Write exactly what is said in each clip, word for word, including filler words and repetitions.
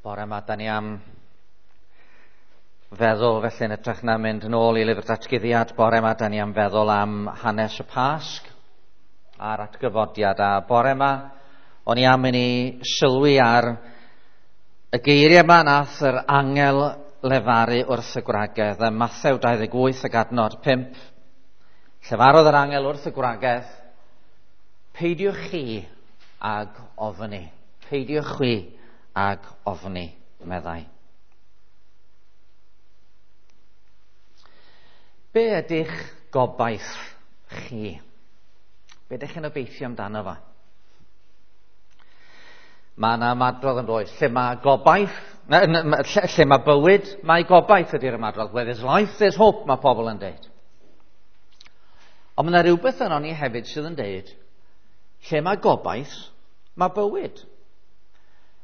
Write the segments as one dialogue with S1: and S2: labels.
S1: Bore yma, da ni am feddwl, felly yn hytrach na mynd yn ôl i lyfr datguddiad, bore yma, da ni am feddwl am hanes y Pasg a'r atgyfodiad. A bore yma, o'n i am i ni sylwi ar y geiriau yma nath yr angel lefaru wrth y gwragedd. Ym Mathew dau ddeg wyth ac adnod pump, llefarodd yr angel wrth y gwragedd, peidiwch chi ag ofni, peidiwch chwi ag ofni, meddai. Be ydych gobaith chi? Be ydych chi'n obeithio amdano fo? Mae yna ymadrodd yn does, lle mae gobaith, lle, lle mae bywyd, mae gobaith ydy'r ymadrodd. Where there's life, there's hope, mae pobl yn deud. Ond mae yna rhywbeth yno ni hefyd sydd yn deud, lle mae gobaith, mae bywyd.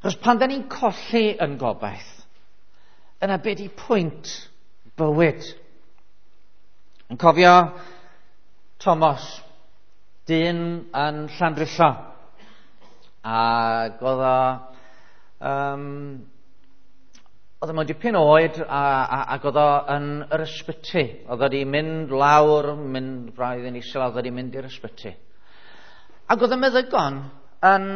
S1: Achos pan da ni'n colli yn gobaith, yna be di pwynt bywyd? Yn cofio Thomas, dyn yn Llandrillo, ac oedd o, um, oedd o mewn dipyn oed a, a, ac oedd o yn yr ysbyty. Oedd o wedi mynd lawr, mynd braidd yn isel, oedd o wedi mynd i'r ysbyty. Ac oedd y meddygon yn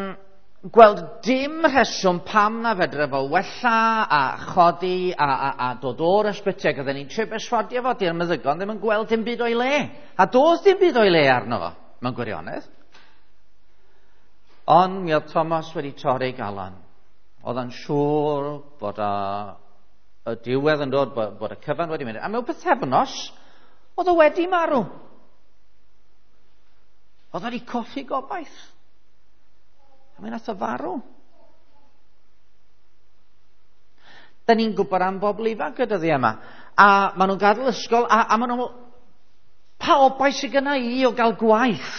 S1: gweld dim rheswm pam na fedre fo wella a chodi a, a, a dod o'r ysbyty, ac oedden ni'n trio berswadio fo, di'r meddygon ddim yn gweld dim byd o'i le. A doedd dim byd o'i le arno fo, mewn gwirionedd. Ond mi oedd Thomas wedi torri galon. Oedd o'n siŵr bod a, y diwedd yn dod, bod, bod y cyfan wedi mynd. A mewn pythefnos, oedd o wedi marw. Oedd o wedi colli gobaith. A mi nath o farw. Da ni'n gwybod am bobl ifanc y dyddiau yma. A maen nhw'n gadael ysgol, a, a maen nhw'n... Pa obaith sydd gynna i o gael gwaith?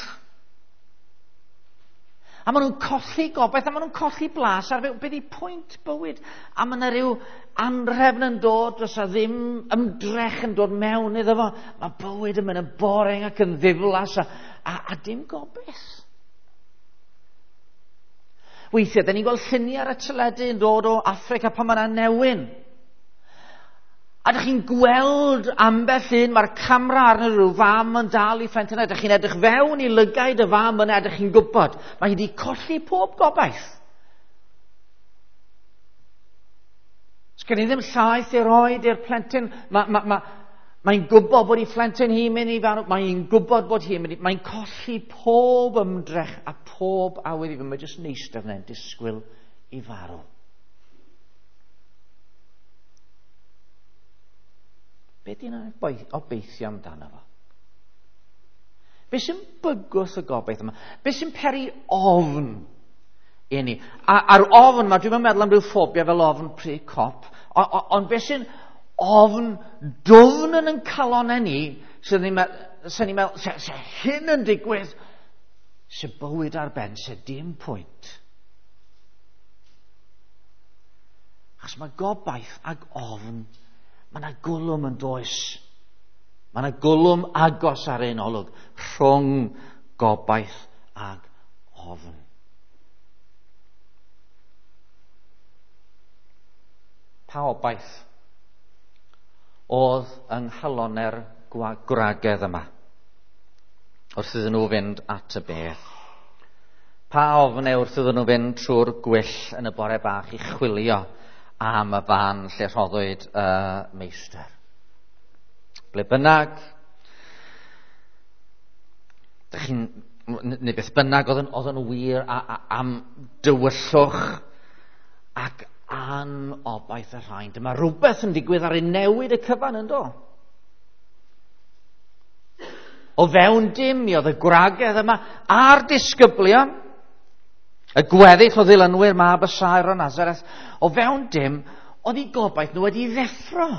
S1: A maen nhw'n colli gobaith, a maen nhw'n colli blas ar beth ydi pwynt bywyd. A mae yna rhyw anrhefn yn dod, does a ddim ymdrech yn dod mewn iddo fo. Mae bywyd yn mynd yn boring ac yn ddiflas, a, a, a dim gobaith. Weithiau, da ni'n gweld lluniau ar y teledu yn dod o Affrica pan mae yna newyn. A dych chi'n gweld ambell un, mae'r camera arno rhyw fam yn dal i phlentyn. Dych chi'n edrych fewn i lygaid y fam yna, dych chi'n gwybod. Mae hi wedi colli pob gobaith. Sgen i ddim llaeth i roed i'r plentyn. Mae, ma, ma, mae'n gwybod bod ei phlentyn hi'n mynd i farw. Mae'n gwybod bod hi'n mynd i... Mae'n colli pob ymdrech a pob awydd i fynd. Mae'n jyst yn eistedd yna'n disgwyl i farw. Be di'n obeithio amdano fo? Be sy'n bygwth y gobaith yma? Be sy'n peri ofn i ni? A, a'r ofn yma, dwi'n meddwl am ryw ffobia fel ofn pry cop, ond be sy'n ofn dwfn yn yn calonau ni, sy'n ni'n meddwl, se, se hyn yn digwydd, se bywyd ar ben, se dim pwynt. Achos mae gobaith ag ofn, mae yna gwlwm yn does. Mae yna gwlwm agos ar ein olwg rhwng gobaith ag ofn. Pa obaith oedd yng nghalonau'r gwragedd yma wrth iddyn nhw fynd at y bedd? Pa ofn wrth iddyn nhw fynd trwy'r gwyll yn y bore bach i chwilio am y fan lle rhoddwyd y meistr? Ble bynnag, dych chi'n, neu beth bynnag oedd yn, oedd yn wir a, a, am dywyllwch ac anobaith y rhain. Dyma rhywbeth yn digwydd ar ei newid y cyfan yn do. O fewn dim mi oedd y gwragedd yma a'r disgyblion, y gweddill o ddilynwyr mab y saer o Nazareth, o fewn dim oedd eu gobaith nhw wedi ddeffro.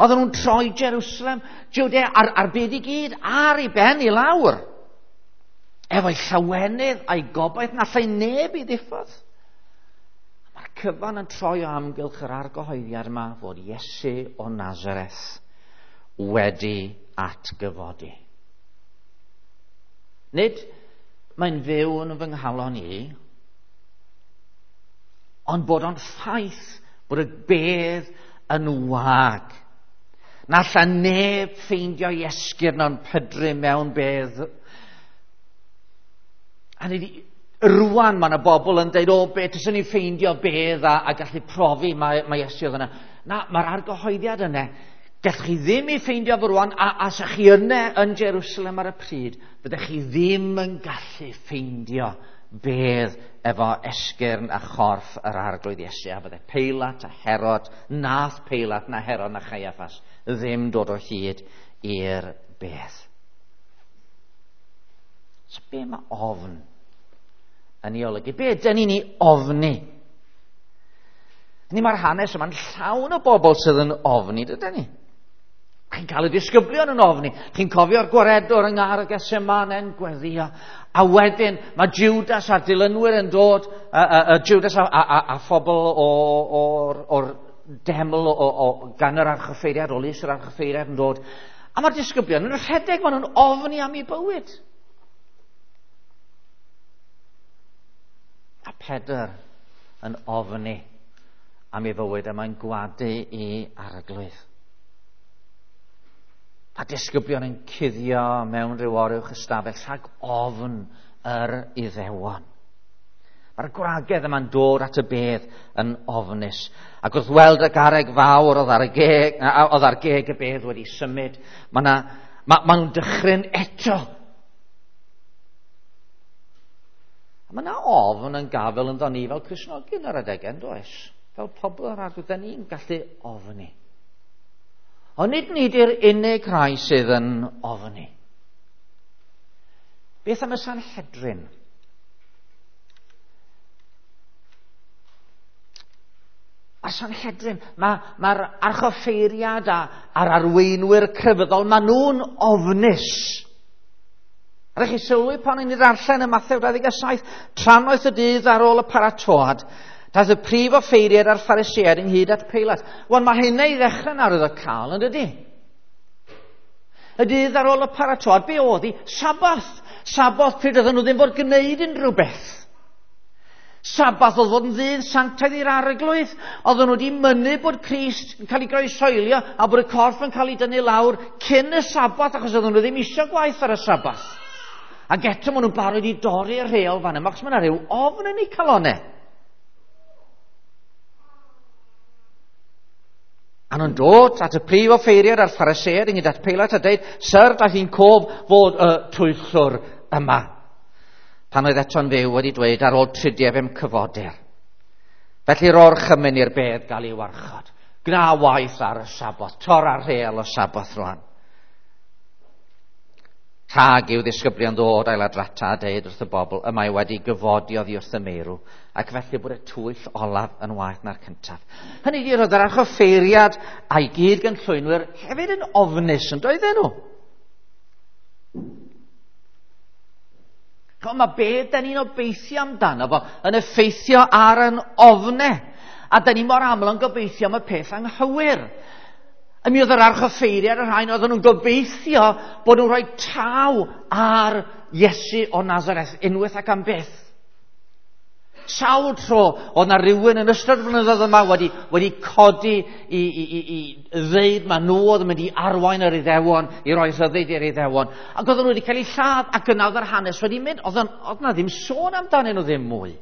S1: Oedden nhw'n troi Jerusalem, Judea a'r, a'r byd i gyd ar ei ben i lawr. Efo'i llawenydd a'i gobaith na allai neb i ddiffodd. Mae'r cyfan yn troi o amgylch yr argyhoeddiad yma fod Iesu o Nazareth wedi atgyfodi. Nid mae'n fyw yn fy nghalon i, Ond bod o'n ffaith bod y bedd yn wag. Na alla neb ffeindio i esgyrn o'n pydru mewn bedd. A ni, rwan mae yna bobl yn dweud, o, be, tyswn ni'n ffeindio bedd a, a gallu profi mae, mae Iesu oedd yna. Na, mae'r argyhoeddiad yna, gallwch chi ddim ei ffeindio fo rwan, a, a sa chi yna yn Jerusalem ar y pryd, byddech chi ddim yn gallu ffeindio bedd efo esgyrn a chorff yr Arglwydd Iesu, a fydde Peilat a Herod, nath Peilat na Herod na Chaiaffas ddim dod o hyd i'r bedd. So be mae ofn yn ei olygu? Be ydyn ni'n ei ofni? Ni mae'r hanes yma'n llawn o bobl sydd yn ofni, dydyn ni? Chi'n cael y disgyblion yn ofni. Chi'n cofio'r gwaredwr yng Nghar y Gethsemane yn gweddio. A wedyn mae Judas a'r dilynwyr yn dod, uh, uh, Judas a, a, a, a phobl o'r, or deml o, o, o, gan yr archoffeiriad, o lys yr archoffeiriad yn dod. A mae'r disgyblion yn rhedeg, maen nhw'n ofni am eu bywyd. A Pedr yn ofni am ei fywyd, a mae'n gwadu i Arglwydd. A disgyblion yn cuddio mewn rhyw oruwch ystafell rhag ofn yr Iddewon. Mae'r gwragedd yma'n dod at y bedd yn ofnus. Ac wrth weld y garreg fawr oedd ar y geg, oedd ar geg y bedd wedi symud, mae ma, ma nhw'n dychryn eto. A mae yna ofn yn gafel ynddo ni fel Cristnogion ar adegau, yn does? Fel pobl yr Arglwydd, da ni'n gallu ofni. Ond nid ni di'r unig rhai sydd yn ofni. Beth am y Sanhedrin? A'r Sanhedrin, mae'r ma archoffeiriad a, a'r arweinwyr crefyddol, maen nhw'n ofnus. Rhaid chi sylwi pan ni'n ddarllen y Mathew dau ddeg saith, trannoeth y dydd ar ôl y paratoad, daeth y prif offeiriad a'r Phariseaid ynghyd at Peilat. Wan, mae hynna i ddechrau'n arwyddocaol, yn dydy? Y dydd ar ôl y paratoad, be oedd hi? Sabath. Sabath pryd oedden nhw ddim fod gwneud unrhyw beth. Sabath oedd fod yn ddydd sanctaidd i'r Arglwydd. Oedden nhw wedi mynnu bod Crist yn cael ei groeshoelio a bod y corff yn cael ei dynnu lawr cyn y Sabath, achos oedden nhw ddim eisiau gwaith ar y Sabath. Ac eto maen nhw'n barod i dorri'r rheol fan yma, achos mae yna rhyw ofn yn eu calonnau. A nhw'n dod at y prif offeiriad a'r Phariseaid ynghyd at Peilat a dweud, Syr, daeth i'n cof fod y twyllwr yma. Pan oedd eto'n fyw wedi dweud, ar ôl tridiau fe'm cyfodir. Felly ro'r orchymyn i'r bedd gael ei warchod. Gna waith ar y Saboth, torra'r rheol y Saboth rwan. Rhag i'w ddisgyblion ddod a'i ladrata a deud wrth y bobl, y mae wedi gyfodi oddi wrth y meirw, ac felly bod y twyll olaf yn waeth na'r cyntaf. Hynny ydi, roedd yr archoffeiriad a'i gyd gynllwynwyr hefyd yn ofnus, yn doedden nhw? Ch'mo, mae be da ni'n obeithio amdano fo yn effeithio ar yn ofne, a da ni mor aml yn gobeithio am y peth anghywir. A mi oedd yr archoffeiriad y rhain, oedden nhw'n gobeithio bod nhw'n rhoi taw ar Iesu o Nazareth unwaith ac am byth. Sawl tro oedd na rhywun yn ystod flynyddoedd yma wedi, wedi codi i, i, i, i ddeud ma nhw oedd yn mynd i arwain yr Iddewon, i roi rhyddid i'r Iddewon. Ac oedden nhw wedi cael eu lladd, ac yna oedd yr hanes wedi mynd. Oedd, oedd na ddim sôn amdanyn nhw ddim mwy.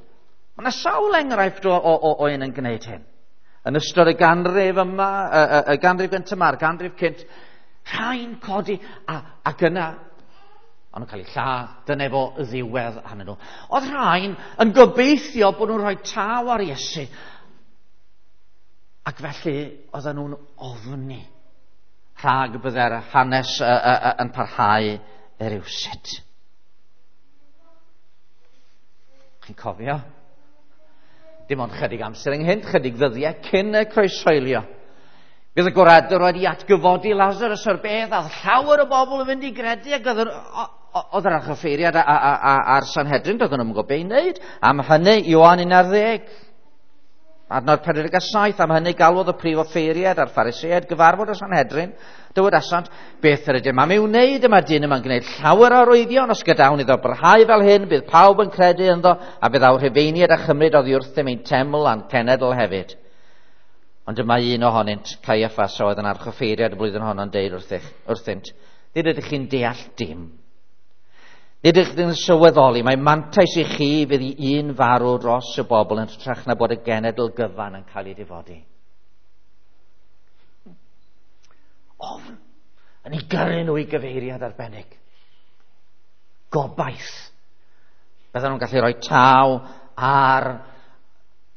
S1: Mae yna sawl enghraifft o, o, o, o un yn gwneud hyn. Yn ystod y ganrif yma, y, y, y ganrif gyntaf yma, a'r ganrif cynt, rhai'n codi, a, ac yna, ond nhw'n cael eu lladd, dyna fo ddiwedd arnyn nhw. Oedd rhain yn gobeithio bod nhw'n rhoi taw ar Iesu, ac felly oedden nhw'n ofni rhag bydde'r hanes y, y, y, yn parhau rywsut. Chi'n cofio? Dim ond chydig amser ynghynt, chydig ddyddiau cyn y croeshoelio. Bydd y gwaredwr wedi atgyfodi Lazarus o'r bedd, a llawer o bobl yn mynd i gredu, ac oedd yr archoffeiriad a'r Sanhedrin, doedden nhw'n gwybod be i wneud. Am hynny, Ioan un ar ddeg. Adnod pedwar deg saith, am hynny galwodd y prif offeiriad a'r Phariseaid gyfarfod y Sanhedrin, dywedasant, beth yr ydym am ei wneud yma dyn yma'n gwneud llawer o arwyddion, os gadawn iddo barhau fel hyn, bydd pawb yn credu ynddo, a bydd awr Rhufeiniaid a chymryd oddi wrthym ein teml a'n cenedl hefyd. Ond dyma un ohonynt, Caiaffas, oedd yn archoffeiriad y blwyddyn honno'n deud wrthych, wrthynt, nid ydych chi'n deall dim. Nid ydych chi'n sylweddoli, mae mantais i chi fydd i un farw dros y bobl yn hytrach na bod y genedl gyfan yn cael ei difodi. Ofn yn ei gyrru nhw i gyfeiriad arbennig. Gobaith. Bydden nhw'n gallu rhoi taw ar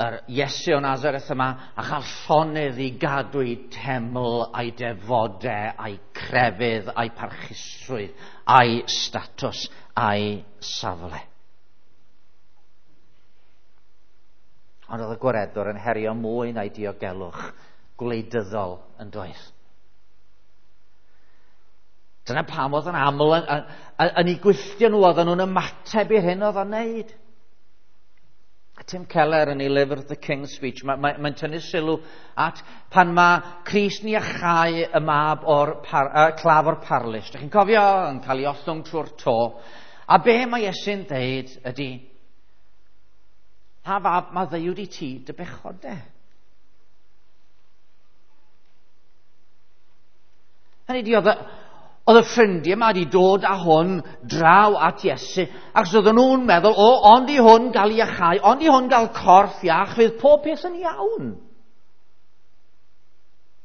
S1: yr Iesu o Nazareth yma a chael llonydd i gadw ei teml a'i defodau a'i crefydd a'i parchusrwydd a'i statws a'i safle. Ond oedd y gwaredwr yn herio mwy na'i diogelwch gwleidyddol yn doedd. Dyna pam oedd yn aml yn, yn, yn ei gwylltio nhw, oedden nhw'n ymateb i'r hyn oedd o'n neud. Tim Keller yn ei lyfr The King's Speech, mae'n mae, mae tynnu sylw at pan mae Crist yn iachau y mab o'r par, uh, claf o'r parlys. Dych chi'n cofio yn cael ei ollwng trwy'r to. A be mae Iesu'n deud ydy, ha fab, mae ddeuwd i ti dy bechodau. Hynny ydi, oedd y, oedd y ffrindiau yma wedi dod â hwn draw at Iesu, achos oedden nhw'n meddwl, o, ond i hwn gael iachau, ond i hwn gael corff iach, fydd pob peth yn iawn.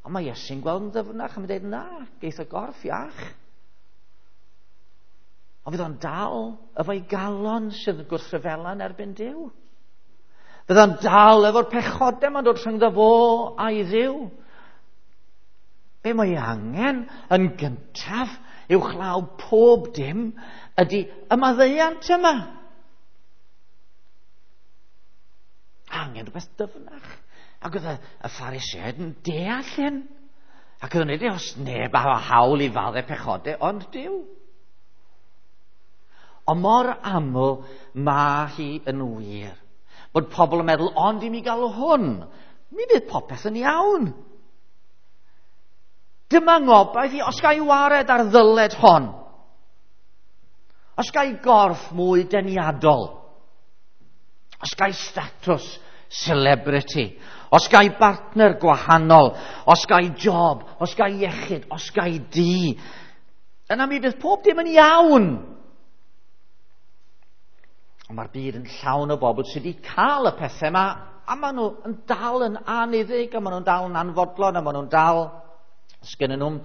S1: Ond mae Iesu'n gweld yn ddyfnach a mae'n dweud, na, geith y gorff iach. Ond fydd o'n dal efo'i galon sydd yn gwrthryfela yn erbyn Duw. Fydd o'n dal efo'r pechodau ma'n dod rhyngddo fo a'i Dduw. Be mae angen yn gyntaf uwchlaw pob dim ydy y maddeuant yma. Angen rhywbeth dyfnach. Ac oedd y, y Phariseaid yn deall hyn. Ac oedd yn dweud, os neb a hawl i faddau pechodau, ond Duw. Ond mor aml mae hi yn wir. Bod pobl yn meddwl, ond i mi gael hwn, mi fydd popeth yn iawn. Dyma ngobaith i, os ga i wared ar ddyled hon, os ga i gorff mwy deniadol, os ga i statws celebrity, os ga i bartner gwahanol, os ga i job, os ga i iechyd, os ga i dŷ, yna mi fydd pob dim yn iawn. Ond mae'r byd yn llawn o bobl sydd wedi cael y pethau yma, a maen nhw yn dal yn anniddig, a maen nhw'n dal yn anfodlon, a maen nhw'n dal... Sgennyn nhw'n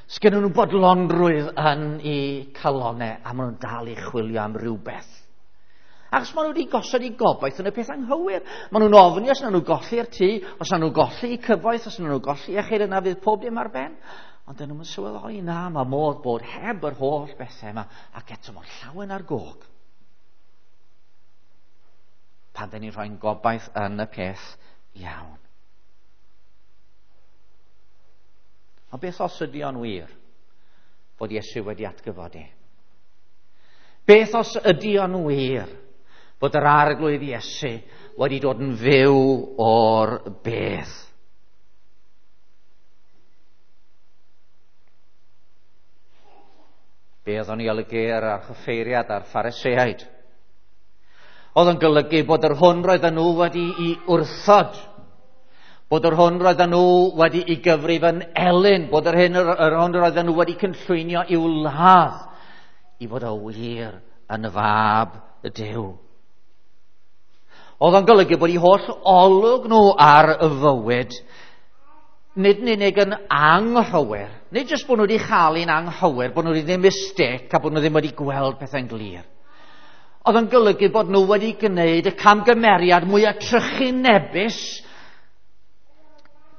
S1: sgennyn nhw bodlonrwydd yn eu calonau, a maen nhw'n dal i chwilio am rhywbeth. Achos maen nhw wedi gosod eu gobaith yn y peth anghywir. Maen nhw'n ofni os nawn nhw golli'r tŷ, os nawn nhw golli eu cyfoeth, os nawn nhw golli iechyd, yna fydd pob dim ar ben. Ond dyn nhw'n sylweddoli, na, mae modd bod heb yr holl bethau yma, ac eto mor llawen ar gog. Pan dyn ni'n rhoi'n gobaith yn y peth iawn. Ond beth os ydy o'n wir fod Iesu wedi atgyfodi? Beth os ydy o'n wir fod yr Arglwydd Iesu wedi dod yn fyw o'r bedd? Be oedd o'n ei olygu ar archoffeiriad a'r Phariseaid? Oedd o'n golygu bod yr hwn roedden nhw wedi ei wrthod, bod yr hwn roedden nhw wedi ei gyfrif yn elyn, bod yr hyn yr, yr hwn roedden nhw wedi cynllwynio i'w ladd, i fod o wir yn fab y Duw. Oedd o'n golygu bod eu holl olwg nhw ar y fywyd, nid yn unig yn anghywir, nid jyst bod nhw wedi chael un anghywir, bod nhw wedi gwneud mistake a bod nhw ddim wedi gweld pethau'n glir. Oedd o'n golygu bod nhw wedi gwneud y camgymeriad mwyaf trychinebus,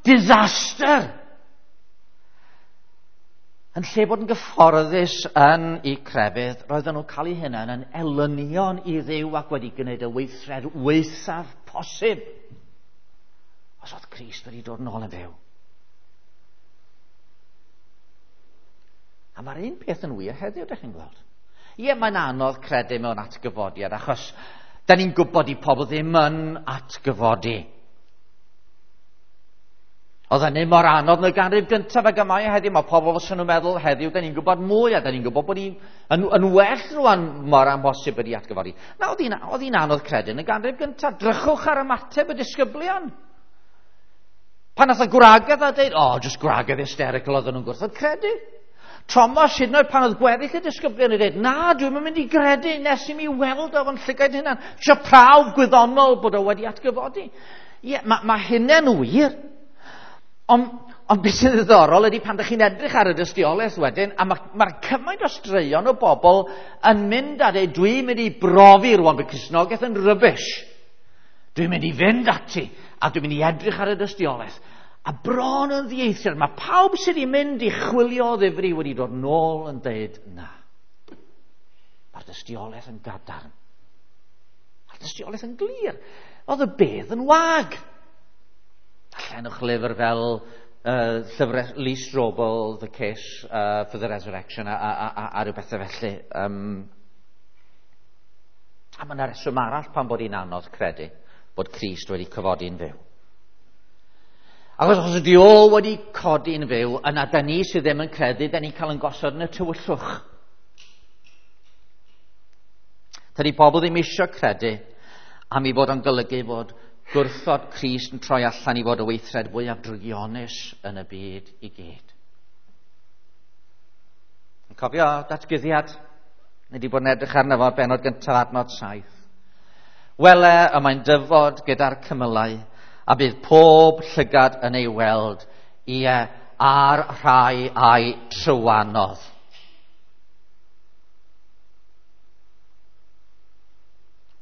S1: disaster. Yn lle bod yn gyfforddus yn eu crefydd, roedden nhw'n cael eu hunain yn elynion i Dduw ac wedi gwneud y weithred waethaf posib. Os oedd Crist wedi dod yn ôl yn fyw. A mae'r un peth yn wir heddiw, dych chi'n gweld. Ie, mae'n anodd credu mewn atgyfodiad, achos da ni'n gwybod i pobl ddim yn atgyfodi. Oedd hynny mor anodd yn y ganrif gyntaf ag y mae heddiw. Mae pobl fysa nhw'n meddwl heddiw, da ni'n gwybod mwy a da ni'n gwybod bod ni'n yn, yn well rwan mor amhosib ydi atgyfodi. Na, oedd hi'n, oedd hi'n anodd credu yn y ganrif gyntaf. Drychwch ar ymateb y disgyblion. Pan nath y gwragedd a dweud, oh, just gwragedd hysterical oedden nhw'n gwrthod credu. Thomas, hyd yn oed pan oedd gweddill y disgyblion yn dweud, na, dwi'm yn mynd i gredu nes i mi weld o fo'n llygaid hunan. Isio prawf gwyddonol bod o wedi atgyfodi. Ie, yeah, mae ma hynny'n wir. Ond on beth sy'n ddiddorol ydy pan ydych chi'n edrych ar y dystiolaeth wedyn, a mae'r ma cymaint o straeon o bobl yn mynd a dweud, dwi'n mynd i brofi rwan bod Cristnogaeth yn rubbish. Dwi'n mynd i fynd ati, a dwi'n mynd i edrych ar y dystiolaeth. A bron yn ddieithr, mae pawb sydd wedi mynd i chwilio o ddifri wedi dod nôl yn dweud, na. Mae'r dystiolaeth yn gadarn. Mae'r dystiolaeth yn glir. Oedd y bedd yn wag. Darllenwch lyfr fel uh, llyfr Lee Strobel, The Case uh, for the Resurrection, a, a, a, a rhyw bethau felly. Um, a mae yna reswm arall pan bod hi'n anodd credu bod Crist wedi cyfodi'n fyw. Achos os ydy o wedi codi'n fyw, yna da ni sydd ddim yn credu, da ni'n cael yn gosod yn y tywyllwch. Tydi pobl ddim eisiau credu am ei fod o'n golygu fod gwrthod Crist yn troi allan i fod y weithred fwyaf drygionus yn y byd i gyd. Yn cofio datguddiad? Ni wedi bod yn edrych arno fo bennod gyntaf adnod saith. Wele, y mae'n dyfod gyda'r cymylau, a bydd pob llygad yn ei weld, ie, a'r rhai a'i trywanodd.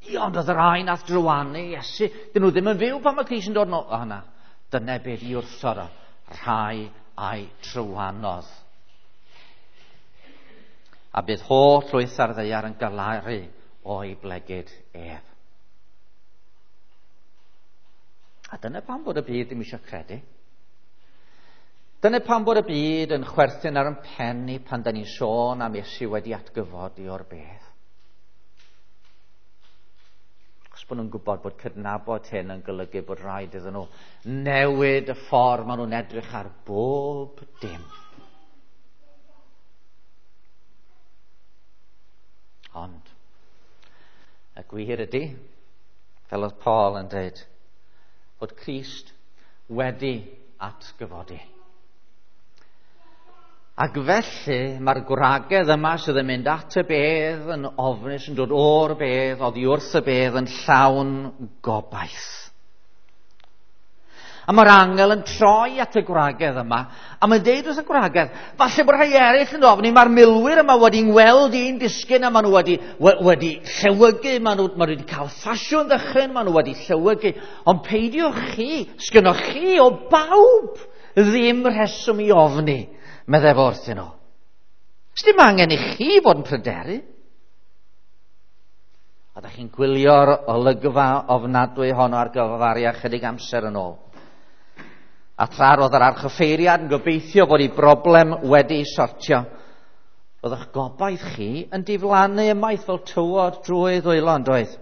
S1: Ie, ond oedd y rhai nath drywanu Iesu, dyn nhw ddim yn fyw pan mae Crist yn dod nôl. O na, dyna beth i wrthod o, rhai a'i trywanodd. A bydd holl lwyth ar ddaear yn galaru o'i blegid ef. A dyna pam bod y byd ddim eisiau credu. Dyna pam bod y byd yn chwerthin ar yn pen ni pan da ni'n sôn am Iesu wedi atgyfodi o'r bedd. Achos bod nhw'n gwybod bod cydnabod hyn yn golygu bod rhaid iddyn nhw newid y ffordd maen nhw'n edrych ar bob dim. Ond, y gwir ydy, fel oedd Paul yn dweud, bod Crist wedi atgyfodi. Ac felly mae'r gwragedd yma sydd yn mynd at y bedd yn ofnus, yn dod o'r bedd, oddi wrth y bedd yn llawn gobaith. A mae'r angel yn troi at y gwragedd yma, a mae'n deud wrth y gwragedd, falle bod rhai eraill yn ofni, mae'r milwyr yma wedi ngweld i'n disgyn, a maen nhw wedi, wedi llewygu, maen nhw, maen nhw wedi cael ffasiwn ddychryn, maen nhw wedi llewygu, ond peidiwch chi, sgynnoch chi o bawb ddim rheswm i ofni, meddai fo wrthyn nhw. Sdim angen i chi fod yn pryderu. A da chi'n gwylio'r olygfa ofnadwy honno ar gyfaria chydig amser yn ôl. A tra roedd yr archoffeiriad yn gobeithio bod ei broblem wedi sortio, roedd eich gobaith chi yn diflannu ymaith fel tywod drwy ddwylo, yn doedd?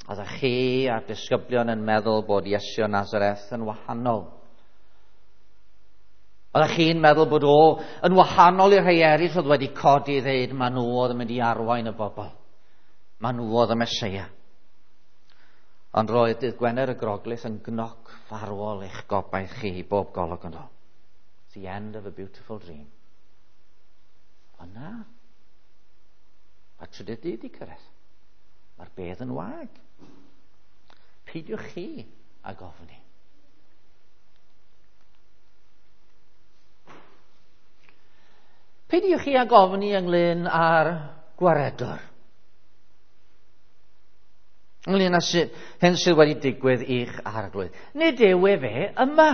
S1: Oeddech chi a'r disgyblion yn meddwl bod Iesu o Nazareth yn wahanol. Oeddech chi'n meddwl bod o yn wahanol i'r rhai eraill oedd wedi codi i ddeud ma nhw oedd yn mynd i arwain y bobl. Ma nhw oedd y Meseia. Ond roedd dydd Gwener y Groglith yn gnoc farwol eich gobaith chi i bob golwg yn do. It's the end of a beautiful dream. Ond na. Mae'r trydydd dydd wedi cyrraedd. Mae'r bedd yn wag. Peidiwch chi ag ofni. Peidiwch chi ag ofni ynglyn â'r gwaredwr. Ynglyn â sy, hyn sydd wedi digwydd i'ch arglwydd. Nid yw e fe yma.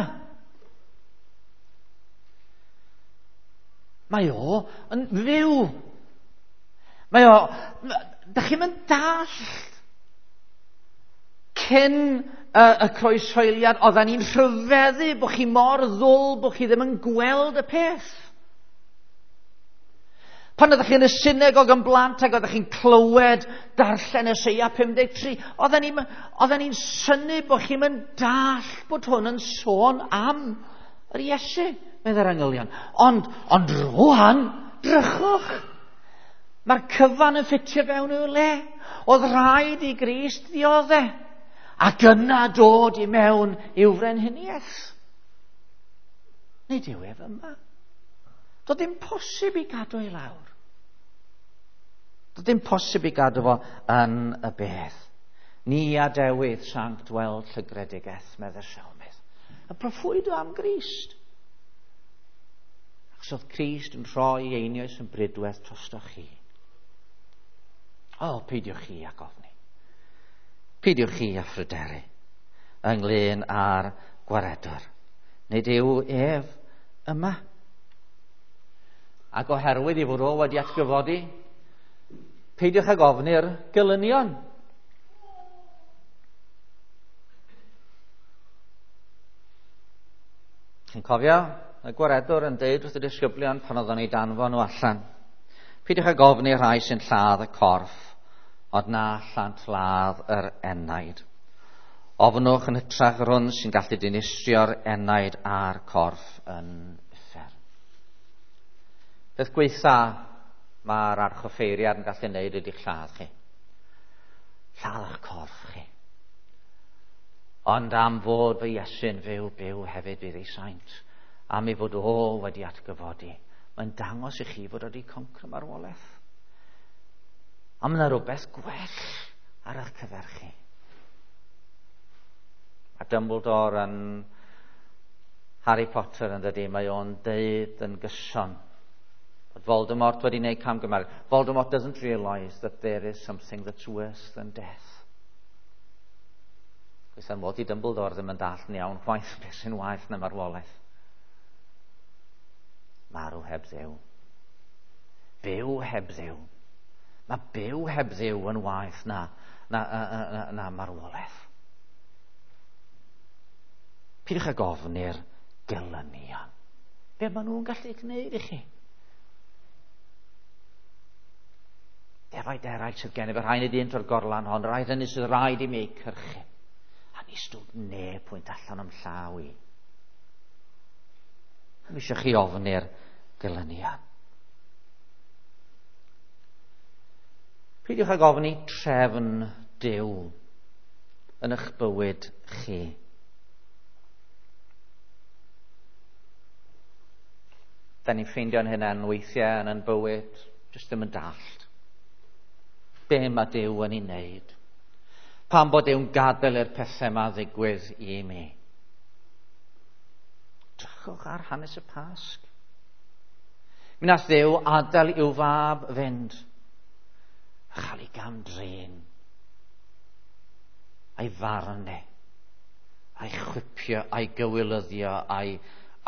S1: Mae o yn fyw. Mae o... Da chi'n mynd dall cyn y, y croeshoeliad, oedden ni'n rhyfeddu bod chi mor ddwl bod chi ddim yn gweld y peth. Pan oeddech chi yn y synagog yn blant ac oeddech chi'n clywed darllen Eseia pum deg tri, oedden ni'n oedden ni'n synnu bod chi'n mynd dall bod hwn yn sôn am yr Iesu, meddai'r angylion. Ond, ond rwan, drychwch, mae'r cyfan yn ffitio fewn i'w le. Oedd rhaid i Grist ddiodde ac yna dod i mewn i'w frenhiniaeth. Nid yw ef yma. Doedd dim posib i gadw i lawr. Doedd dim posib i gadw fo yn y bedd. Ni adewyd sanct weld llygredigaeth, meddai'r Salmydd. Y proffwydo am Grist. Achos oedd Crist yn rhoi einioes yn brydwedd drostoch chi. O, peidiwch chi ag ofni. Peidiwch chi â phryderu ynglyn â'r gwaredwr. Nid yw ef yma. Ac oherwydd i fod o wedi atgyfodi, peidiwch ag ofni'r gelynion. Chi'n cofio y gwaredwr yn deud wrth y disgyblion pan oedden nhw'n danfon nhw allan. Peidiwch ag ofni'r rhai sy'n lladd y corff, ond na allant ladd yr enaid. Ofnwch yn hytrach yr hwn sy'n gallu dinistrio'r enaid a'r corff yn uffern. Peth gweitha mae'r archoffeiriad yn gallu wneud ydy'ch lladd chi. Lladd eich corff chi. Ond am fod fy Iesu'n fyw, byw hefyd fydd ei saint. Am ei fod o wedi atgyfodi. Mae'n dangos i chi fod wedi concro marwolaeth. A mae yna rhywbeth gwell ar eich cyfer chi. A Dumbledore yn Harry Potter yn dydi, mae o'n deud yn gyson bod Voldemort wedi gwneud camgymeriad. Voldemort doesn't realise that there is something that's worse than death. Gweitha'n mod i Dumbledore ddim yn dallt yn iawn chwaith beth sy'n waeth na marwolaeth. Marw heb Dduw. Byw heb Dduw. Mae byw heb Dduw yn waeth na, na, na, na, na marwolaeth. Peidiwch ag ofni'r gelynion. Be maen nhw'n gallu gwneud i chi? Defaid eraill sydd gennyf, y rhai nid un o'r gorlan hon, rhai hynny sydd rhaid i mi eu cyrchu. A ni stwd neb pwynt allan o'm llaw i. Ddim eisiau chi ofni'r gelynion. Peidiwch ag ofni trefn Duw yn eich bywyd chi. Da ni'n ffeindio'n hynna'n weithiau yn ein bywyd, jyst ddim yn dallt. Be mae Duw yn ei wneud? Pam bod Duw'n gadael i'r pethau yma ddigwydd i mi? Drychwch ar hanes y Pasg. Mi nath Dduw adael i'w fab fynd a chael ei gam-drin, a'i farnu, a'i chwipio, a'i gywilyddio, a'i,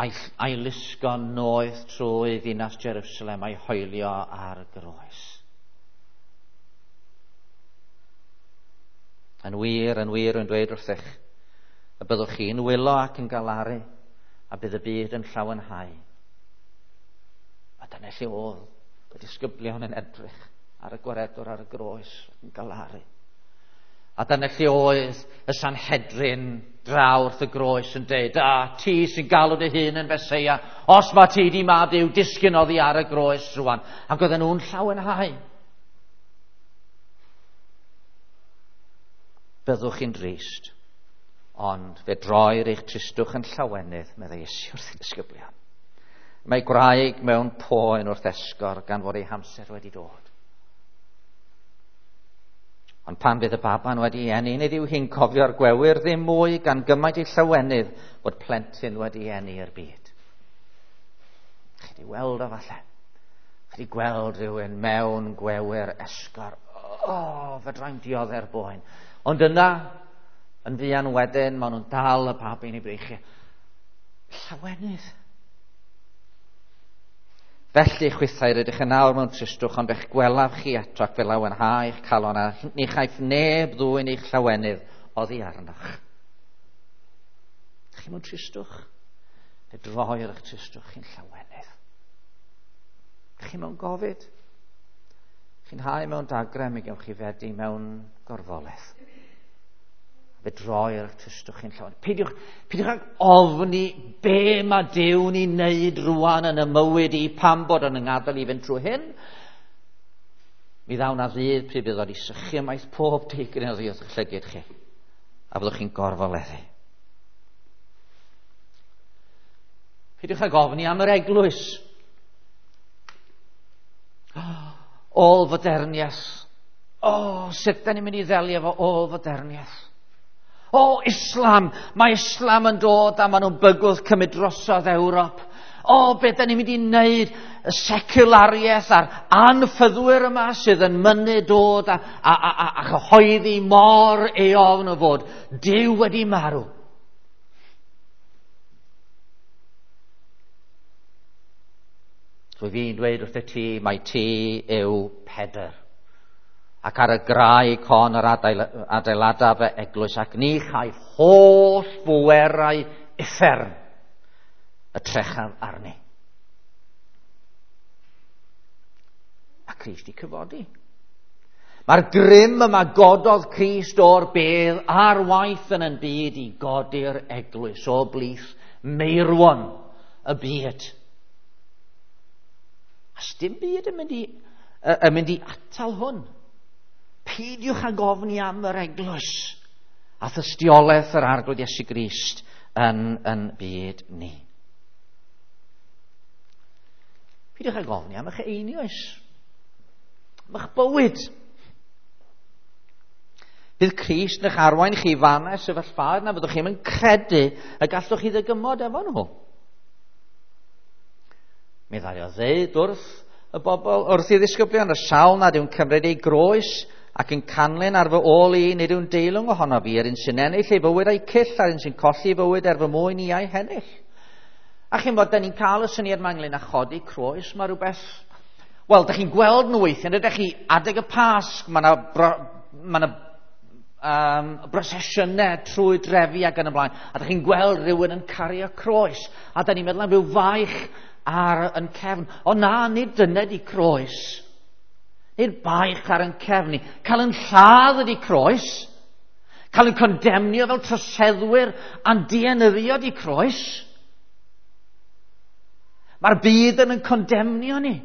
S1: a'i, a'i lusgo noeth trwy ddinas Jerusalem, a'i hoelio ar y groes. Yn wir, yn wir, yn dweud wrthych, y byddwch chi'n wylo ac yn galaru, a bydd y byd yn llawenhau. A dyna lle oedd y disgyblion yn edrych ar y gwaredwr ar y groes yn galaru. A dyna lle oedd y Sanhedrin draw wrth y groes yn deud, a ti sy'n galw dy hun yn Feseia, os mae ti di mab Duw, disgyn oddi ar y groes rwan. Ac oedden nhw'n llawenhau. Byddwch chi'n drist, ond fe droir eich tristwch yn llawenydd, meddai Iesu wrth y disgyblion. Mae gwraig mewn poen wrth esgor gan fod ei hamser wedi dod. Ond pan fydd y baban wedi eni, nid yw hi'n cofio'r gwewyr ddim mwy gan gymaint ei llawenydd bod plentyn wedi eni i'r byd. Chi wedi weld o falle? Chi wedi gweld rhywun mewn gwewyr esgor? O, oh, fedrai'm diodde'r boen. Ond yna, yn fuan wedyn, maen nhw'n dal y babi'n ei breichiau. Llawenydd. Felly, chwithau, rydych yn awr mewn tristwch, ond fe'ch gwelaf chi eto ac fe lawenhau eich calon, a ni chaiff neb ddwyn eich llawenydd oddi arnoch. Chi mewn tristwch? Fe droir eich tristwch chi'n llawenydd. Chi mewn gofid? Chi'n hau mewn dagrau, mi gewch chi fedi mewn gorfoledd. Fe droi'r tystwch chi'n llawn. Peidiwch, peidiwch ag ofni be mae Duw'n ei wneud rwan yn y mywyd i, pam bod o'n ngadael i fynd trwy hyn. Mi ddaw na ddydd pryd bydd o'n i sychu ymaith pob digryn oddi wrth eich llygid chi. A byddwch chi'n gorfoleddu. Peidiwch ag ofni am yr eglwys. Ôl-foderniaeth. O, sut da ni'n mynd i ddelio efo ôl-foderniaeth? O, Islam! Mae Islam yn dod a maen nhw'n bygwth cymryd drosodd Ewrop. O, beth da ni'n mynd i wneud? Y seculariaeth a'r anffyddwyr yma sydd yn mynnu dod a, a, a, a, a chyhoeddi mor eofn o fod Duw wedi marw. Rwy fi'n dweud wrth y ti, mai ti yw Pedr. Ac ar y graig hon yr adeiladaf fy eglwys, ac ni chaiff holl bwerau uffern y trechaf arni. A Crist i cyfodi. Mae'r grym yma gododd Crist o'r bedd ar waith yn yn byd i godi'r eglwys o blith meirwon y byd. A sdim byd yn mynd i, yn mynd i atal hwn. Peidiwch ag ofni am yr eglwys a thystiolaeth yr Arglwydd Iesu Grist yn, yn byd ni. Peidiwch ag ofni am eich einioes, am eich bywyd. Bydd Crist yn eich arwain chi fannau sefyllfaoedd na fyddwch chi'm yn credu y gallwch chi ddygymod efo nhw. Mi ddaru o ddeud wrth y bobl, wrth i ddisgyblion, y sawl nad yw'n cymryd ei groes ac yn canlyn ar fy ôl i, nid yw'n deilwng ohono fi, yr un sy'n ennill ei fywyd a'i cyll, a'r un sy'n colli ei fywyd er fy mwyn i a'i hennill. A chi'n bod, da ni'n cael y syniad yma ynglyn â chodi croes, mae rhywbeth... Wel, da chi'n gweld nhw weithiau, ydych chi adeg y Pasg, mae yna ma um, brosesiynau trwy drefi ac yn y blaen, a da chi'n gweld rhywun yn cario croes, a da ni'n meddwl am ryw faich ar yn cefn. O na, nid dyna di croes. Nid baich ar yn cefn ni. Cael yn lladd ydi croes. Cael yn condemnio fel troseddwyr a'n dienyddio di croes. Mae'r byd yn yn condemnio ni.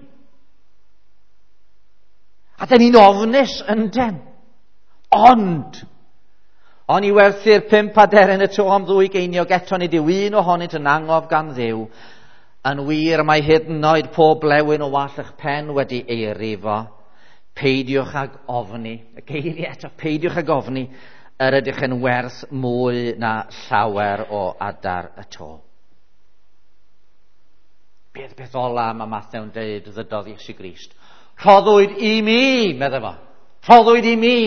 S1: A dyn ni'n ofnus ynden. Ond, o'n i werthu'r pump aderyn y to am ddwy geiniog, eto nid yw un ohonynt yn angof gan Dduw. Yn wir, mae hyd yn oed pob blewyn o wallt eich pen wedi ei rifo. Peidiwch ag ofni. Y geiriau eto, peidiwch ag ofni, yr ydych yn werth mwy na llawer o adar y to. Beth beth ola mae Mathew'n deud ddydodd Iesu Grist. Rhoddwyd i mi, medde fo. Rhoddwyd i mi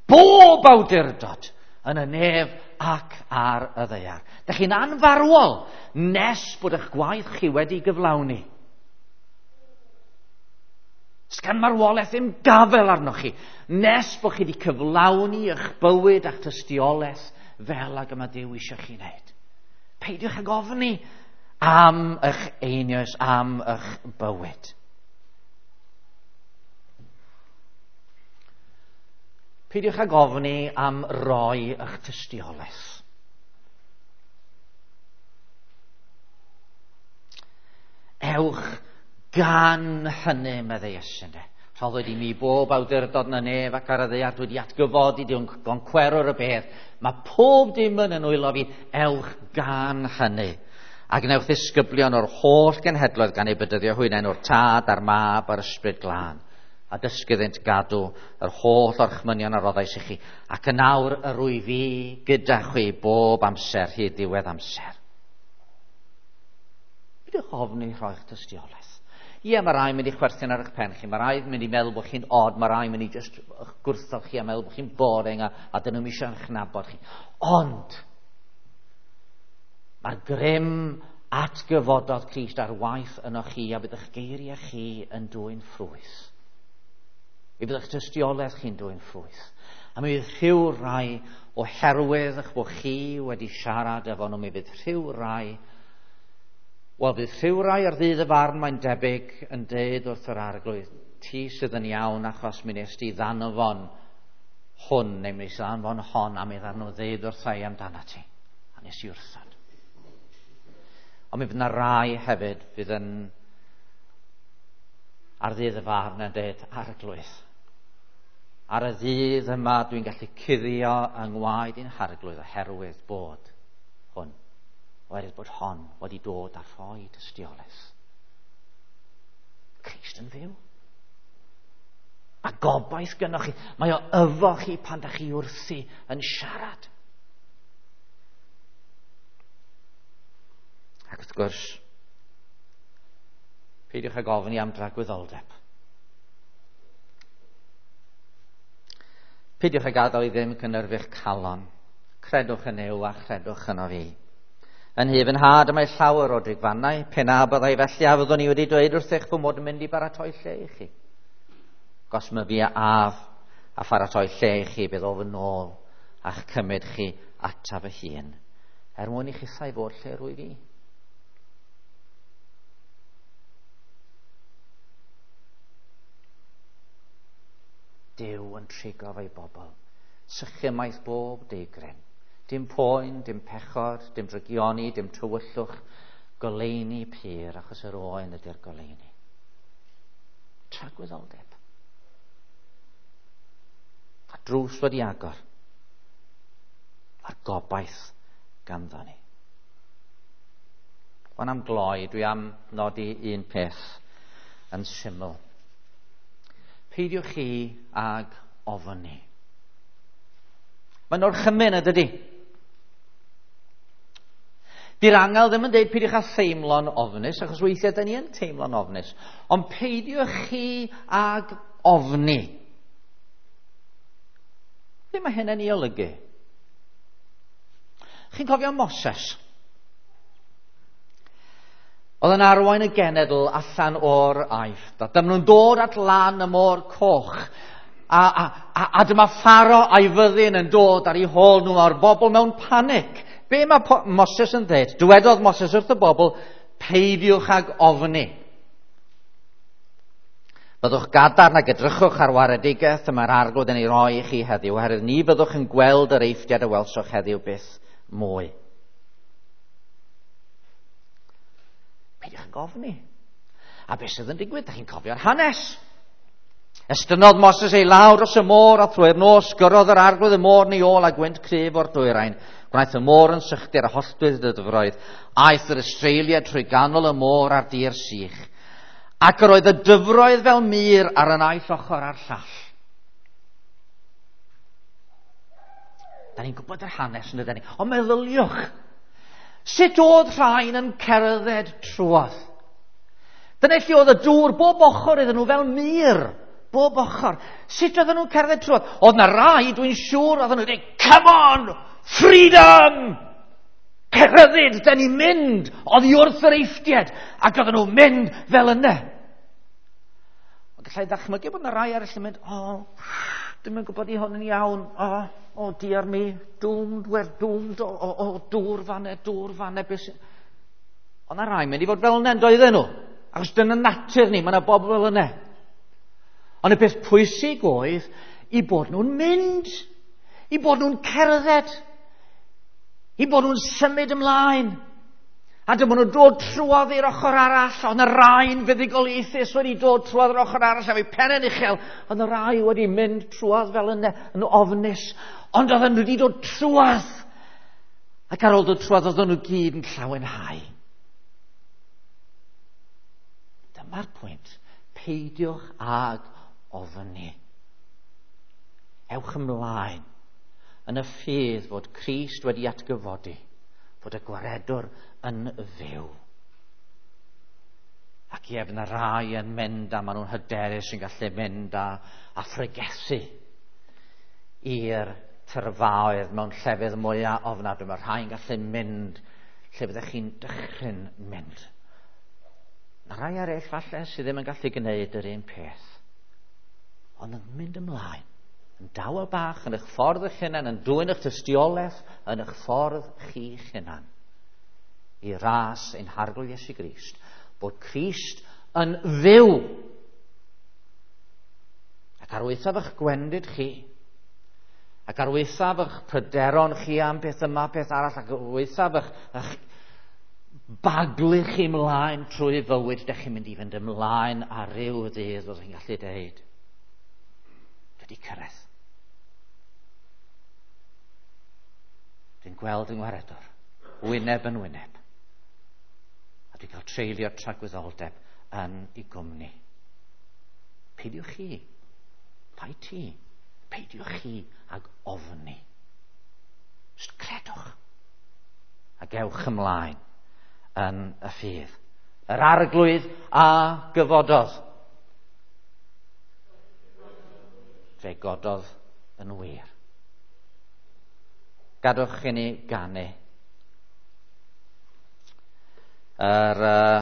S1: bob awdurdod yn y nef ac ar y ddaear. Dych chi'n anfarwol nes bod eich gwaith chi wedi gyflawni. Sgan marwolaeth ddim gafel arnoch chi nes bod chi wedi cyflawni eich bywyd a'ch tystiolaeth fel ag y mae Duw eisiau chi wneud. Peidiwch ag ofni am eich einioes, am eich bywyd. Peidiwch ag ofni am roi eich tystiolaeth. Ewch gan hynny, meddai Iesu. Rhoddwyd i mi bob awdurdod yn y nef ac ar y ddaear, dwi wedi atgyfodi, dwi'n goncwerwr y bedd. Mae pob dim yn nwylo fi, ewch gan hynny. A gwnewch ddisgyblion o'r holl genhedloedd gan eu bedyddio hwy yn enw'r Tad a'r Mab a'r Ysbryd Glân. A dysgu iddynt gadw yr holl orchmynion a roddais i chi. Ac yn awr yr wyf fi gyda chwi bob amser hyd ddiwedd amser. Peidiwch ofni rhoi'ch tystiolaeth. Ie, mae rai mynd i chwerthin ar eich pen chi, mae rai mynd i meddwl bod chi'n odd, mae rai mynd i just gwrthod chi a meddwl bod chi'n boring a, a dyn nhw'n eisiau eich nabod chi. Ond, mae'r grym atgyfododd Crist ar waith yno chi a bydd eich geiriau chi yn dwyn ffrwyth. Mi fydd eich tystiolaeth chi'n dwyn ffrwyth. A mi fydd rhyw rai oherwydd eich bod chi wedi siarad efo nhw, mi fydd rhyw rai, wel, fydd rhyw rai ar ddydd y farn mae'n debyg yn deud wrth yr Arglwydd, ti sydd yn iawn achos mi nes di ddanfon hwn, neu mi nes di ddanfon hon, a mi ddarn nhw ddeud wrtha i amdana ti. A nes i wrthod. Ond mi fydd yna rai hefyd fydd yn ar ddydd y farn yn dweud, Arglwydd, ar y ddydd yma dwi'n gallu cuddio yng ngwaed i'n harglwydd oherwydd bod hwn, oherwydd bod hon wedi dod a rhoi tystiolaeth. Crist yn fyw. A gobaith gynnoch chi. Mae o efo chi pan da chi wrthi yn siarad. Ac wrth gwrs, peidiwch ag ofni am dragwyddoldeb. Peidiwch ag gadael i ddim cynhyrfu'ch calon. Credwch yn Nuw a chredwch yno fi. Yn nhŷ fy nhad y mae llawer o drigfannau, pe na byddai felly a fyddwn i wedi dweud wrthych fy mod yn mynd i baratoi lle i chi. Gos my fi a af a pharatoi lle i chi, bydd o fy nôl a'ch cymryd chi ata fy hun, er mwyn i chithau fod lle rwyf i. Duw yn trigo fe'i bobl, sychumaeth bob deigryn. Dim poen, dim pechod, dim drygioni, dim tywyllwch, goleuni pur, achos yr oen ydy'r goleuni. Tragwyddoldeb. A drws wedi agor. A'r gobaith ganddo ni. Wan am gloi, dwi am nodi un peth yn syml. Peidiwch chi ag ofni. Mae'n orchymyn, ydydi? Di'r angel ddim yn dweud peidiwch â theimlo'n ofnus, achos weithiau da ni yn teimlo'n ofnus. Ond peidiwch chi ag ofni. Be mae hynny'n ei olygu? Chi'n cofio Moses? Oedd yn arwain y genedl allan o'r Aifft. A dyma nhw'n dod at lan y môr coch. A, a, a, a dyma Pharo a'i fyddin yn dod ar eu hôl nhw a'r bobl mewn panic. Be mae Moses yn dweud? Dywedodd Moses wrth y bobl, peidiwch ag ofni. Byddwch gadarn ac edrychwch ar waredigaeth y mae'r Arglwydd yn ei roi i chi heddiw, oherwydd ni fyddwch yn gweld yr Eifftiad a welsoch heddiw byth mwy. Peidiwch ag ofni. A beth sydd yn digwydd? Da chi'n cofio'r hanes. Estynnodd Moses ei law dros y môr a thrwy'r nos gyrrodd yr Arglwydd y môr yn ei ôl a gwynt cryf o'r dwyrain. Gwnaeth y môr yn sychder a holltwyd y dyfroedd. Aeth yr Israeliaid trwy ganol y môr ar dir sych. Ac yr oedd y dyfroedd fel mur ar y naill ochr a'r llall. Da ni'n gwybod yr hanes yn ydyn ni. Ond meddyliwch, sut oedd rhain yn cerdded trwodd? Dyna lle oedd y dŵr bob ochr iddyn nhw fel mur. Bob ochr. Sut oedden nhw'n cerdded trwodd? Oedd na rai, dwi'n siŵr, oedden nhw'n dweud, come on, freedom! Cerdded, da ni'n mynd oddi wrth yr Eifftiaid. Ac oedden nhw'n mynd fel yna. Ond gallai ddychmygu bod yna rai eraill yn mynd, o, oh, dwi'm yn gwybod i hwn yn iawn, o, oh, oh, dear me, doomed, we're doomed, o, o, o, dŵr fanne, dŵr fanne. Ond na rai mynd i fod fel yna, doedden nhw. Achos dyna natur ni, mae yna bobl fel yna. Ond y peth pwysig oedd i bod nhw'n mynd, i bod nhw'n cerdded, i bod nhw'n symud ymlaen. A dyma nhw'n dod trwodd i'r ochr arall, ond y rai'n fuddugoliaethus wedi dod trwodd i'r ochr arall, a fe pen yn uchel, ond y rai wedi mynd trwodd fel yna, yn ofnus, ond oedden nhw wedi dod trwodd. Ac ar ôl dod trwodd, oedden nhw gyd yn llawenhau. Dyma'r pwynt. Peidiwch ag ofni. Ewch ymlaen yn y ffydd fod Crist wedi atgyfodi, fod y gwaredwr yn fyw. Ac ie, fydd yna rai yn mynd a maen nhw'n hyderus yn gallu mynd a, a phregethu i'r tyrfaoedd mewn llefydd mwyaf ofnadwy. Mae rhai'n gallu mynd lle byddech chi'n dychryn mynd. Mae rai eraill falle sydd ddim yn gallu gwneud yr un peth, ond yn mynd ymlaen, yn dawel bach, yn eich ffordd eich hunan, yn dwyn eich tystiolaeth, yn eich ffordd chi'ch hunan, i ras ein Harglwydd Iesu Grist, bod Crist yn fyw. Ac ar waethaf eich gwendid chi, ac ar waethaf eich pryderon chi am beth yma, peth arall, ac ar waethaf eich, eich baglu chi ymlaen trwy fywyd, dych chi'n mynd i fynd ymlaen ar ryw ddydd, fyddwch chi'n gallu deud, dwi wedi cyrraedd. Dwi'n gweld yng Ngwaredwr, wyneb yn wyneb. A dwi'n cael treulio tragwyddoldeb yn ei gwmni. Peidiwch chi, pai ti, peidiwch chi ag ofni. Jyst credwch. A gewch ymlaen yn y ffydd. Yr Arglwydd a gyfododd. Fe gododd yn wir. Gadwch i ni ganu. Yr uh,